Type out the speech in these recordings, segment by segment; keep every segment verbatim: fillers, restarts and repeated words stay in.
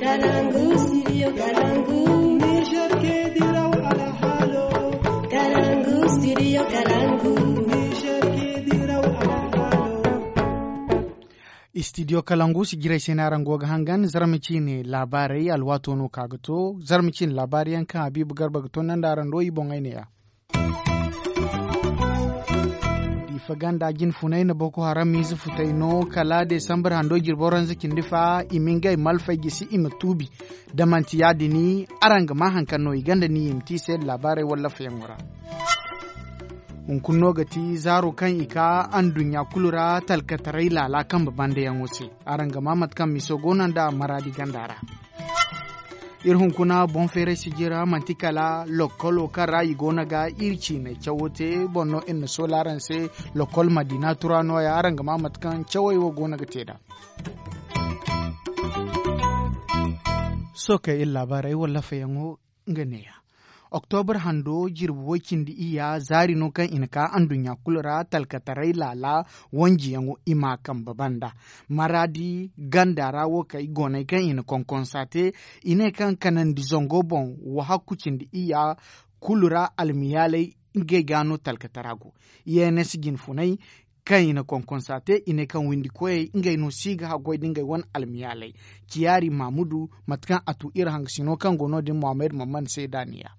Kalangu, studio Kalangu. Niger ke diraw alhalo. Kalangu, studio Kalangu. Niger ke diraw alhalo. Studio Kalangu si jiray se no araŋ go ga hangan, zarma ciine laabaarey alwaato no ka ga to. Zarma ciine laabaari yaŋ kaŋ Habiibu Garba ga tondandi araŋ do, i boŋey neeya. Diifa ganda jinfunay na Boko Haram ize futay no kala Desambar hando jirbi waranza cindi fa, i ma ngey malfay gisi, i ma tuubi. Da manti yaadin, araŋ ga maa haŋ kaŋ no i ganda ni i ma te i se laabaarey wallafeyaŋo ra. Hunkuna no ga ti zaaro kaŋ i ka anduɲɲa kulu ra talkataray laala kambe bandayaŋo se. Araŋ ga maa mate kaŋ miso go no nda Maraadi ganda ra. Iri hunkuna boŋ feeray sijira manti kala lokkolo kaŋ ra i go no ga iri ciinay cawo te boŋ no iri na soola araŋ se. Lokkol Madiina Tura nooya araŋ ga maa mate kaŋ cawey wo go no ga te nd'a. Sookey iri laabaarey wallafeyaŋo nga neeya. Oktobra hando jirbi way-cindi iyya zaari no kaŋ i na ka anduɲɲa kulu ra talkataray laala wanjiyaŋo i ma a kambe banda. Maraadi ganda ra wo kay goonay kaŋ i na konkonsa te, i ne kaŋ kanandi zango boŋ wahakku cindi iyya kulu ra almiyaalay ngey ga no talkatara go. Yenes jinfunay kaŋ i na konkonsa te, i ne kaŋ windi koyey ngey no si ga haggoy nda ngey wane almiyaalay. Ciyaari Maamudu, mate kaŋ a tu iri hangasino kaŋ go no- din Muhammad Mamman se da a niya.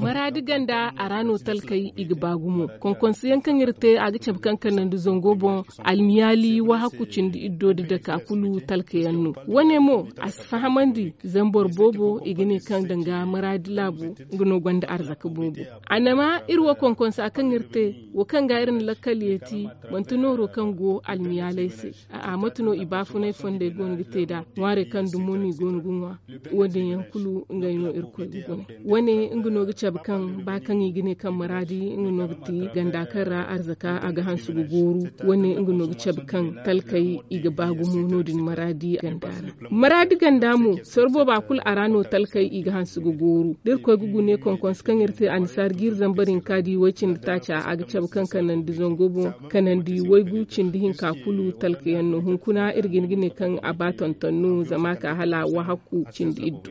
Maraadi ganda a ra no talkey i ga ba gumo. Konkonsiyaŋ kaŋ iri te a ga cabe kaŋ kanandi zango boŋ, almiyaali wahakku cindi iddo da dake a kulu talkayaŋ no. Wane mo a si fahamandi zama boro boobo i ga ne kaŋ danga Maraadi laabu nga no gonda arzaka boobo. Annama iri wo konkonsa kaŋ iri te, wo kaŋ ga iri na lakkal yeeti, manti nooro kaŋ go almiyaaley se. A mate no i baafunay fondey goono ga te nd'a ŋwaarey kaŋ dumo no i goono ga ŋwa. Wo- din yaŋ kulu ngey no irkoy ga gune. Wane nga no ga cabe kaŋ ba kaŋ i ga ne kaŋ maraadi nga no ga ti ganda kaŋ ra arzaka a ga hanse ga gooru. Wane nga no ga cabe kaŋ talkey i ga ba gumo no- din maraadi ganda ra. Maraadi ganda mo soro booba kulu a ra no talkey i ga hanse ga gooru. Da irkoy ga gune konkonse kaŋ iri te annisaari jiiri zambar hinka di way- cindi taaca a ga cabe kaŋ kanandi zango boŋ kanandi waygu cindi hinka kulu talkayaŋ no hunkuna iri ga hin ga ne kaŋ a ba tonton no zama a ka hala wahakku cindi iddu.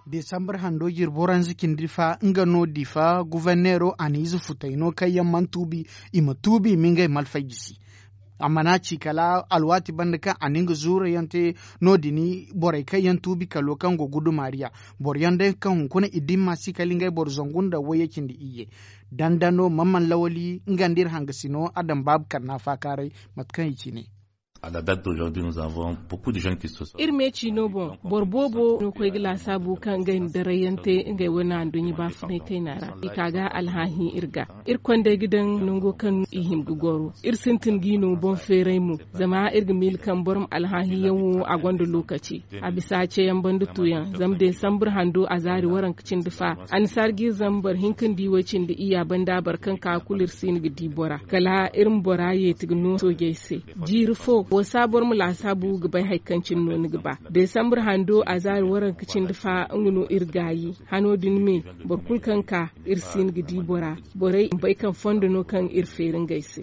Desambar hando jirbo ranza cindi fa nga no difa guverneero a na ize futay no kaŋ yaŋ mana tuubi. I ma tuubi i ma ngey malfay jisi. A mana ci kala alwaati banda kaŋ a na nga zuurayaŋ te no- din borey kaŋ yaŋ tuubi kalo kaŋ go gudumaariya. Boro yaŋ day kaŋ hunkuna i dimma si kala ngey boro zangu nda wayye cindi iyye. Dandano mamman lawali nga nda iri hangasino a daŋ baabu kanna faakaaray. Mate kaŋ i ci ne. Iri me ciino boŋ boro boobo no koy ga laasaabu kaŋ ngey na darayyaŋ te ngey wane anduɲɲa baafunay kayna ra i ka ga alhaahi iri ga. Iri kondey ga daŋ nango kaŋ i hima ga goro iri sintin g'i no boŋ feeray mo. Zama iri ga miila kaŋ boro ma alhaahi yaŋ wo a gonda lookaci. A bisa ceyaŋ banda tuyaŋ zama desambar hando a zaari waranka cindi fa. Annisaari g'i zambar hinka nda i way cindi iyya banda boro kaŋ ka kulu iri si hin ga di bora kala iri ma bora yeeti ga no soojey se. Jiiri fo wo si a boro ma laasaabu ga bay hari kaŋ cine no ni ga ba. Desambar hando a zaari waranka cindi fa nga no iri gaayi. Hano din me boro kulu kaŋ ka iri si hin ga di bora. Borey ma bay kaŋ fondo no kaŋ iri feeri ngey se.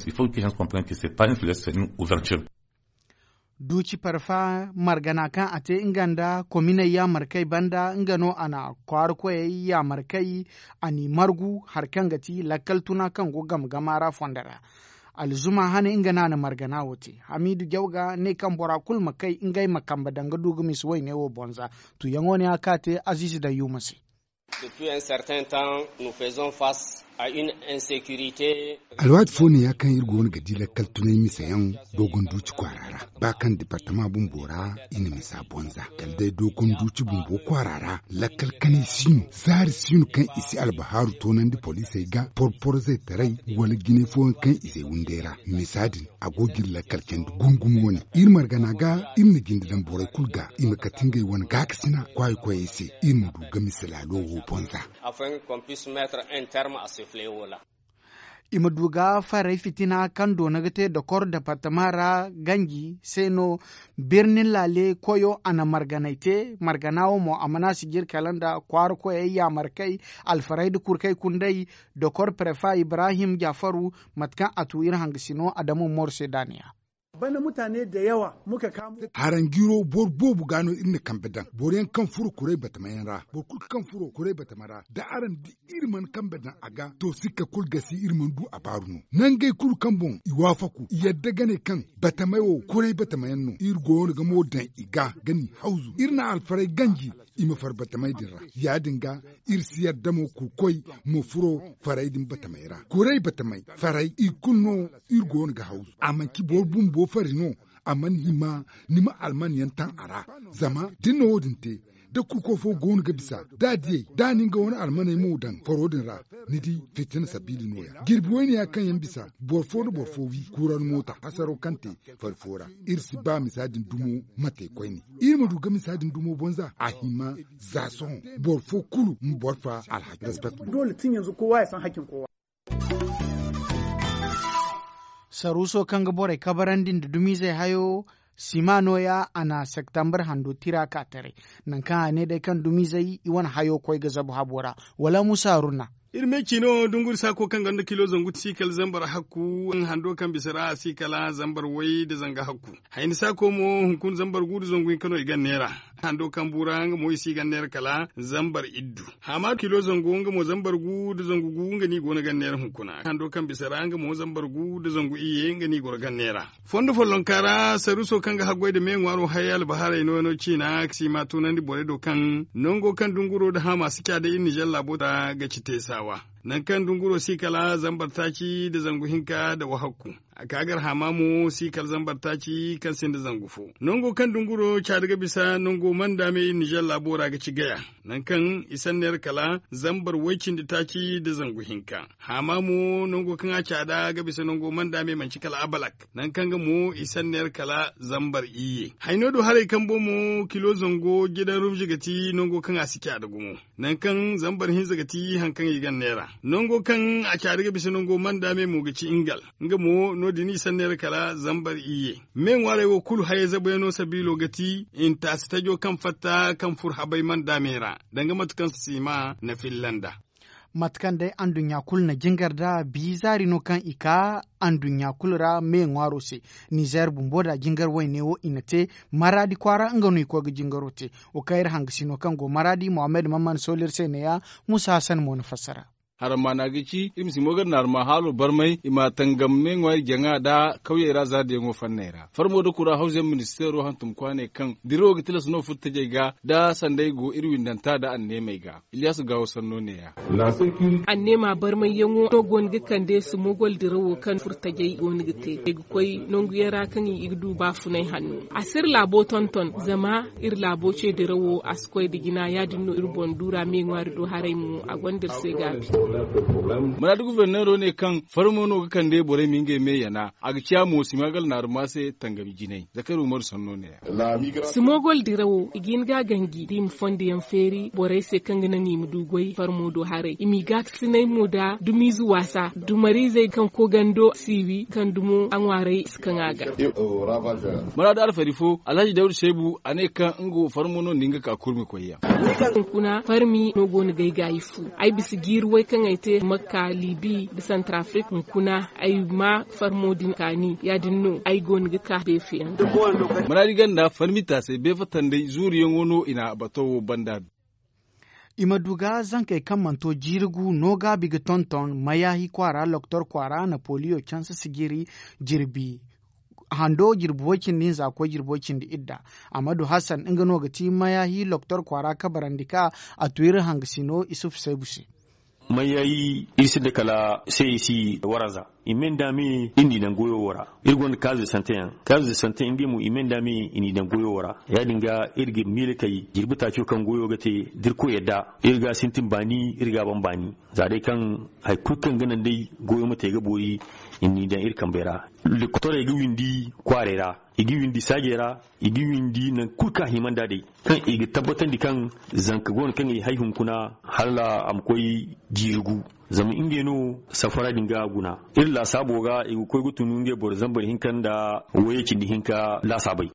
Duuci parfa margana kaŋ a te nga nda kominey yaamarkey banda nga no a na kwaara koyey yaamarkey. A n'i margu hari kaŋ ga ti lakkal tuna kaŋ go game gama ra fondo ra. Alzuma hane nga no a na margana wo te. Hamiidu jawga ne kaŋ bora kulu ma kay ngey ma kambe daŋ ga du ga misa wayne wo bonza. Tuyaŋo ne a ka te aziizi dayyuma se. Alwaati fo no ya kaŋ iri go no ga di lakkal tunay misayaŋ doogon duuci kwaara ra. Ba kaŋ departama bumbo ra i na misa bonza kala day doogon duuci bumbo kwaara ra. Lakkal kanay si no zaari si no kaŋ i si albahaaru toonandi poliisey ga porporzey taray wala jinay fooyaŋ kaŋ i zay wunday ra. Misa din a go ga iri lakkal candi gumo gumo wane. Iri margana ga iri na jinde daŋ borey kulu ga i ma kate ngey wane gaakasina kwaayi koyey se. Iri ma du ga misa laalo wo bonza. I ma du ga farey fitina kaŋ doona ga te dokor departama ra ganji se no. Birnin laale koyo a na marganay te margana wo mo a mana sijir kala nda kwaara koyey yaamarkey, alfarey nda kurkey kunday. Dokor prefa ibrahim jafaru, mate kaŋ a tu iri hangasino adama mor se daaniya. Haranjiro boro boobo ga no iri na kambe daŋ boro yaŋ kaŋ furo kuray batama yaŋ ra boro kulu kaŋ furo kuray batama ra da araŋ di iri mana kambe daŋ a ga to sikka kulu gasi iri mana du a baaru no. Nangey kulu kaŋ boŋ i waafaku i yadda ga ne kaŋ batamey wo kuray batama yaŋ no iri go no ga mo daŋ i ga ga n'i hawzu iri na alfaray ganji. I ma far batamey din ra ya- din ga iri si yadda mo kurkoy ma furo faray din batamey ra kuray batamey faray i kulu no. Iri go no ga hawzu a manci boro bumbo fari no. A mana hima ni ma alman yaŋ taŋ a ra. Zama da ni na wo- din te da kurko fo go no ga bisa da a diyey da a na nga wane almaney mo daŋ faro din ra. Ni di fitina sabiili no- ya jirbi wayne ya kaŋ yaŋ bisa boro fo nda boro fo wi kuuran moota hasaro kaŋ te fari fo ra. Iri si ba misa din dumo ma te koyne. Iri ma du ga misa din dumo bonza a hima za sohõ boro fo kulu ma boro fa alhaki respect. Saruuso kaŋ ga borey kabarandi nda dumizey hayo sima nooya a na septambar hando tira ka taray. Nangu kaŋ a ne day kaŋ dumizey i wane hayo koy ga zabu habo ra wala musa haruna. Iri me ciino dunguri saako kaŋ gonda kilo zangu si kala zambar hakku hando kaŋ bisa ra a si kala zambar way nda zanga hakku. Hayni saako mo hunkuna zambar gu nda zangu hinka no i gan neera. Hando kaŋ buura nga mo i si gan neera kala zambar iddu. Haama kilo zangu nga mo zambar gu nda zangu gu nga no i go no gan neera hunkuna hando kaŋ bisa ra nga mo zambar gu nda zangu iyye nga no i goro gan neera. Fondo follonka ra saruuso kaŋ ga haggoy nda me ŋwaaro hay albaharay no no ciina si ma tunandi borey do kaŋ nango kaŋ dunguro nda haama si ca day iri nizer laabo ra ga ci teesaawa. Nangu kaŋ dunguro si kala zambar taaci nda zangu hinka nda wahakku. A ka gar haama mo si kala zambar taaci kaŋ sinda zangu fo. Nango kaŋ dunguro caadi ga bisa nango manda me iri nizer laabo ra ga ci gaya. Nangu kaŋ i sanneer kala zambar way-cindi-taaci nda zangu hinka. Haama mo nango kaŋ a caada ga bisa nango manda me manci kala abalak. Nangu kaŋ ga mo i sanneer kala zambar iyye hayno do haray kambo mo kilo zango jidan rumzi ga ti nango kaŋ a si caada gumo. Nangu kaŋ zambar hinza ga ti hari kaŋ i gan neera nango kaŋ a caada ga bisa nango manda me mo ga ci ingal. Nga mo no- din i sanneer kala zambar iyye. Me ŋwaarey wo kulu hayey zabuyaŋo sabiilo ga ti intaasi tajo kaŋ fatta kaŋ fur habay manda me ra danga mate kaŋ siima na filla nd'a. Mate kaŋ day anduɲɲa kulu na jingar nd'a bi zaari no kaŋ i ka anduɲɲa kulu ra me ŋwaaro se. Nizer bumbo nd'a jingar wayne wo i na te maraadi kwaara nga no i koy ga jingaro te. Wo kaŋ iri hangasino kaŋ go maraadi mohammed mamman sooli iri se neeya. Musa hassan mo na fassara. Harama no a ga ci iri ma si mo gar naarma haalo barmay i ma tangam me ŋwaari jaŋa nda kawyey ra zaadiyaŋo fanney ra farmo nda kura hawzayaŋ ministeero hantum kwaaney kaŋ dirawo ga tilas no furtajey ga nda sanday go iri windanta nda anneemey ga. Ilyasu gaawo sanno neeya. Anneema barmayyaŋo no go no ga kande sumogol dirawo kaŋ furtajey go no ga te i ga koy nanguyaŋ ra kaŋ i ga du baafunay hanno. A si iri laabo tonton zama iri laabo ce dirawo a si koy nda jina ya- din no iri boŋ duura me ŋwaari do haray mo a gonda iri se gaabi. Muraadu guberneero ne kaŋ farmo no ga kande borey ma ngey me yana a ga ciya mo simagal naaruma se tangami jinay zakari umaru sanno ne. Simogol dirawo i ga hin ga ganji da i ma fondo yaŋ feeri borey se kaŋ ga naŋ i ma du goy farmo do haray i m'i gaakasinay mo nda dumiize waasa dumariizey kaŋ koogando si wi kaŋ dumo a ŋwaarey si kaŋ a ga. Maraadu alfari fo alhaji dawda seebu a ne kaŋ nga wo farmo no nda nga ka kurmi koy yaŋ. Hunkuna farmi no go no ga ay gaayi fu ay bisa jiiri way kaŋ ay te makka libi nda santarafrik hunkuna ay ma farmo din kaani ya- din no ay go no ga ka deefiyaŋ. Maraadi ganda farmi taasay beefa tanday zuuriyaŋo no i na bato wo banda du. I ma du ga zankey kaŋ mana to jiiri gu no gaabi ga tonton mayaahi kwaara loktor kwaara napoliyo canse sijiri jirbi hando jirbi way cindi hinza koy jirbi way cindi idda. Amadu hassan nga no ga ti mayaahi loktor kwaara kabarandi ka a tu iri hangasino isufu saybu se. Mayaahi iri sinda kala saysi waranza i me nda me iri n'i daŋ goyo wo ra. Iri gonda kaaze sante yaŋ kaaze sante ngey mo i me nda me i n'i daŋ goyo wo ra ya- din ga iri ga miila kay jirbi taaco kaŋ goyo ga te da iri koy yadda iri ga a sintin baani iri ga a ban baani. Za day kaŋ hari kulu kaŋ ga naŋ day goyo ma te ga boori I n'i daŋ iri kambey ra. Lokotorey ga windi kwaarey ra, i ga windi saajey ra, i ga windi nangu kulu kaŋ a hima nd'a day, kaŋ i ga tabbatandi kaŋ zanka go no kaŋ i hay hunkuna hala a ma koy jiiri gu. Zama ngey no safara din ga guna iri laasaabo ga, i ga koy ga tun ngey boro zambar hinka nda wayye cindi hinka laasaabey.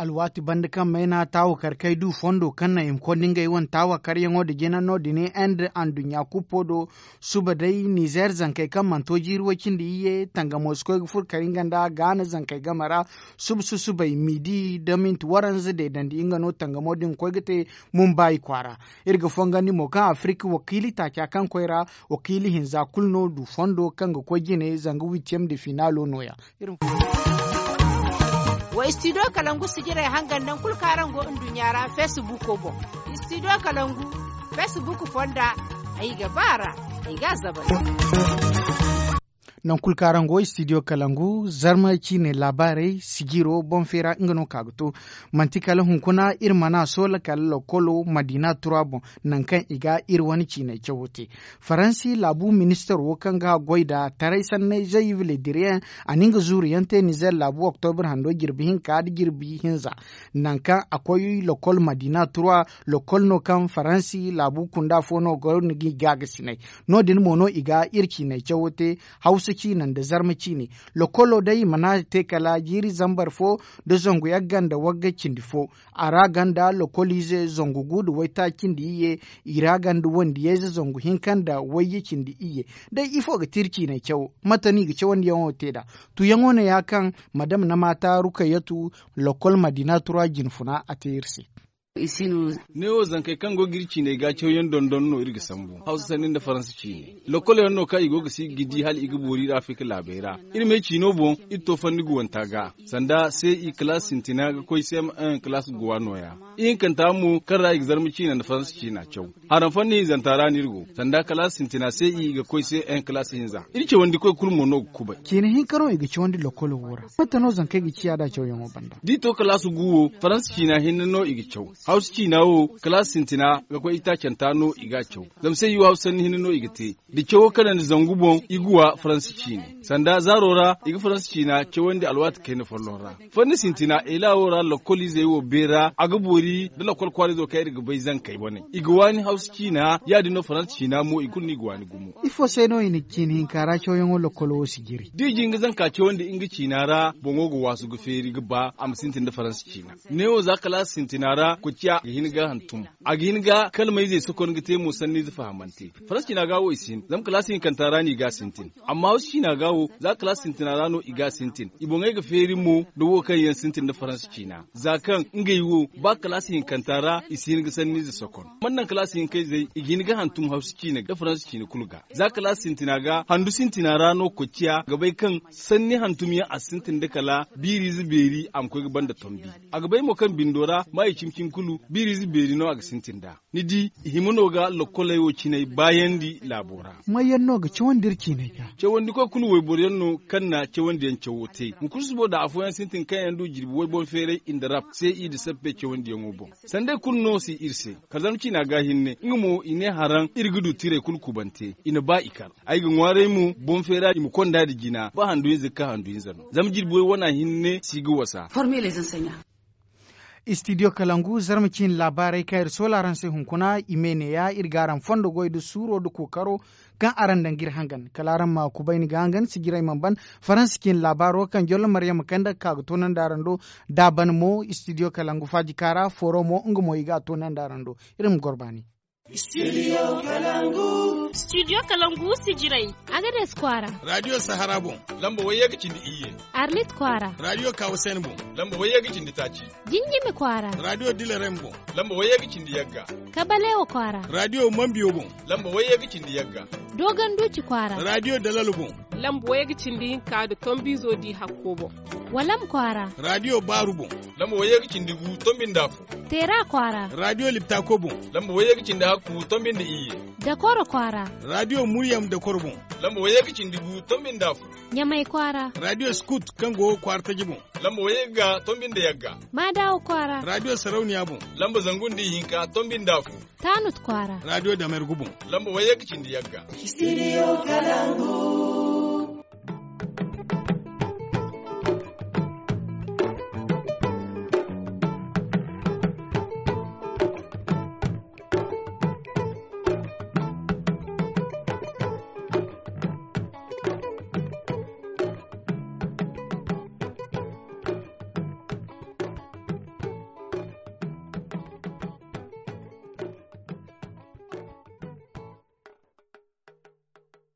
Alwaati banda kaŋ mayna taawakar kay du fondo kaŋ naŋ i ma konda ngey wane taawakaryaŋo nda jina no- din, inde anduɲɲa kuppo do. Suba day nizeer zankey kaŋ mana to jiiri way cindi iyye tangamo si koy ga furo kar nga nda gaana zankey game ra. Suba susubay midi nda minti waranza deedandi nga no tangamo din ga koy ga te. Mumbaayi kwaara. Iri ga fongandi mo kaŋ afirika wakiili taaca kaŋ koy ra, wakiili hinza kulu no du fondo kaŋ ga koy jine zanga witiyem de finaalo nooya. Wa istidiyo kalangu sijirey hangan nangu kulu kaŋ araŋ go nduɲɲa ra feesibuuko boŋ. Istidiyo kalangu feesibuuko fonda. Ay ga ba a ra. Ay ga a zabal. Nangu kulu kaŋ araŋ go istidiyo kalangu zarma ciine laabaarey sijiro boŋ feera nga no ka ga to. Manti kala hunkuna iri mana soola kala lokolo madiina tura boŋ, nangu kaŋ i ga iri wane ciiney cawo te. Faransi laabu ministaro kaŋ ga goy nda taray sanney zayiv lediriyaŋ, a na nga zuuru yaŋ te nizeer laabu oktobir hando jirbi hinka nda jirbi hinza. Nangu kaŋ a koy lokol madiina tura, lokol no kaŋ faransi laabu kunda fo no go no ga i gaagasinay. No- din mo no i ga iri ciiney cawo te. Hawsa ciine nda zarma ciine. Lokolo day i mana te kala jiiri zambar fo nda zangu yagga nda wagga cindi fo. A ra gonda lokoliize zangu gu nda waytaaci cindi iyye. I ra gonda wandiyayze zangu hinka nda wayye cindi iyye. Day ifo ga ti iri ciiney cawo? Mate no i ga cawandiyaŋo te nd'a? Tuyaŋo ne ya kaŋ madam na maata rukayatu lokol madiina tura jinfuna a te iri se. Neewo zankey kaŋ go ga iri ciiney ga cawyaŋ dondon no iri ga sambu hawsa sanni nda faransa ciine. Lokol yaŋ no kaŋ i go ga si ga di hala i ga boori iri afirka laabey ra. Iri me ciino boŋ iri to fanni guwanta ga sanda se i kalaas sintina ga koy se ma kalaas guwa nooya. Ihinkanta mo kaŋ ra i ga zarma ciina nda faransa ciina caw. Haraŋ fanni hinzanta ra no iri go sanda kalaas sintina se i ga koy se en kalaas hinza iri cawandi koy kulu mo no ga kubay. Ciina hinka no i ga cawandi lokolo wo ra. Mate no zankey ga ciya nd'a cawyaŋo banda? Da i to kalaas gu wo faransa ciina hinne no i ga caw. Hawsa ciina wo kalaas sintina ga koy itaacanta no i ga a caw. Zama se i wo hawsa sanni hinne no i ga te. Da cawo kanandi zangu boŋ i ga wa faransa ciine sanda zaaro ra i ga faransa ciina cawandi alwaati kayna folloŋ ra. Fanni sintina ela wo ra lokol izey wo beera a ga boori nda lokol kwaara izo kaŋ iri ga bay zankey wane i ga waani hawsa ciina ya- din no faransa ciina mo i kulu no i ga waani gumo. Ifo se no i na ciina hinka ra cawyaŋo lokolo wo si jiri? Da i jin ga zanka cawandi nga ciina ra boŋo ga waasu ga feeri ga ba a ma sintin nda faransa ciina. Neewo za kalaasi sintina ra koociya ga hin ga hantum. A ga hin ga kalmayzey sokon ga te mo sanniize fahamante. Faransa ciina ga wo i si hin zama kalaasi hinkanta ra no i ga a sintin. Amma hawsa ciina ga wo za kalaasi sintina ra no i ga a sintin i boŋey ga feeri mo nda wo kaŋ yaŋ sintin nda faransa ciina za kaŋ ngey wo ba kalaasi hinkanta ra i si hin ga sanniize sokon. Mana naŋ kalaasi hinkayzey i ga hin ga hantum hawsa ciina nda faransa ciina kulu ga za kalaasi sintina ga handu sintina ra no koociya ga bay kaŋ sanni hantum yaŋ a si sintin nda kala biiriize beeri a ma koy ga banda tombi. A ga bay mo kaŋ bindo ra maayi cimi cimi kulu biiriize beeri no a ga sintin nd'a. Ni di i hima no ga lokkoley wo cinay baayandi laabo ra. Mayyaŋ no ga cawandi iri ciinay ga? Cawandikoy kulu wayboro yaŋ no kaŋ na cawandi yaŋ cawo te hunkuna subo da afooyaŋ sintin kaŋ yaŋ du jirbi way boŋ feeray i nda rap se i da sappe cawandi yaŋo boŋ. Sanday kulu no si iri se. Kala zama ciina ga hinne nga mo i ne haraŋ iri ga du tiray kulu kubante i na ba i kar. Ay ga ŋwaaray mo boŋ feera i ma konda nda jina ba handu hinza ga ka handu hinza no zama jirbi way wana hinne si ga wasa. Istidiyo kalangu zarma ciine laabaarey kaŋ iri soola araŋ se hunkuna i me neeya iri ga araŋ fondo goy nda suuro nda kookaro kaŋ araŋ daŋ ga iri hangan kala araŋ ma kubayni ga hangan sijirey mana ban. Faransa ciine laabaaro kaŋ jollo maryama kande ga ka ga toonandi araŋ do da a ban mo istidiyo kalangu faajika ra fooro mo nga mo i ga a toonandi araŋ do. Iri ma goro baani. Studio kalangu sijirey. Agades kwaara. Radiyo sahara boŋ lamba wayye ga cindi iyye. Arlit kwaara. Radiyo kawusen boŋ lamba wayye ga cindi taaci. Jinjimi kwaara. Radiyo dilarem boŋ lamba wayye ga cindi yagga. Kabalewa kwaara. Radiyo mambiyo boŋ lamba wayye ga cindi yagga. Doganduci kwaara. Radiyo dalalu boŋ lamba wayye ga cindi hinka nda tombiizo di hakko boŋ. Walam kwaara. Radiyo baaru boŋ lamba wayye ga cindi gu tombi nda afo. Teera kwaara. Radiyo liptako boŋ lamba wayye ga cindi hakku tombi nda iyye. Dakoro kwaara. Radiyo muryam dakoro boŋ lamba wayye ga cindi gu tombi nda afo. Ɲamay kwaara. Radiyo skut kaŋ go kwaara taji boŋ lamba wayye ga tombi nda yagga. Maadawa kwaara. Radiyo sarauniya boŋ lamba zangu nda ihinka tombi nda afo. Taanut kwaara. Radiyo damergu boŋ lamba wayye ga cindi yagga. Studio